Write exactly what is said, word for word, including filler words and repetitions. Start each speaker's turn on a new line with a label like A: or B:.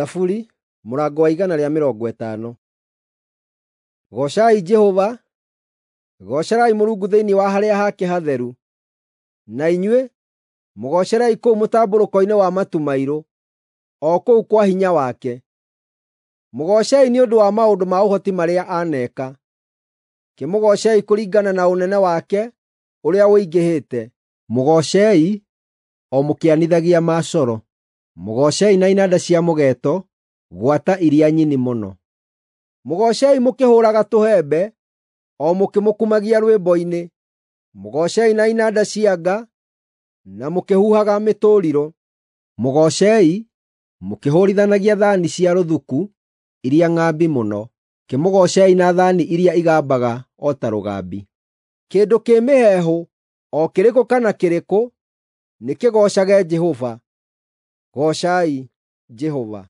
A: Thaburi mũrango wa igana rĩa mĩrongo ĩtano. Goocai Jehova. Goocerai Mũrungu thĩinĩ wa harĩa hake hatheru, na inyuĩ, mũgoocerei kũu mũtambũrũko-inĩ wa matu mairũ, o kũu kwa hinya wake. Mũgoocei nĩ ũndũ wa maũndũ ma ũhoti marĩa aneeka; kĩmũgoocei kũringana na ũnene wake ũrĩa ũingĩhĩte. Mũgoocei o mũkĩanithagia macoro; mũgoocei na inanda cia mũgeeto, gwata iria nyini mũno. Mũgoocei mũkĩhũũraga tũhembe, o mũkĩmũkumagia rwĩmbo-inĩ; mũgoocei na inanda cia nga, na mũkĩhuhaga mĩtũrirũ. Mũgoocei mũkĩhũũrithanagia thaani cia rũthuku iria ng'ambi mũno, kĩmũgoocei na thaani iria igambaga o ta rũgambi. Kĩndũ kĩ mĩheehũ o kĩrĩkũ kana kĩrĩkũ, nĩkĩgoocage Jehova. Goocai Jehova.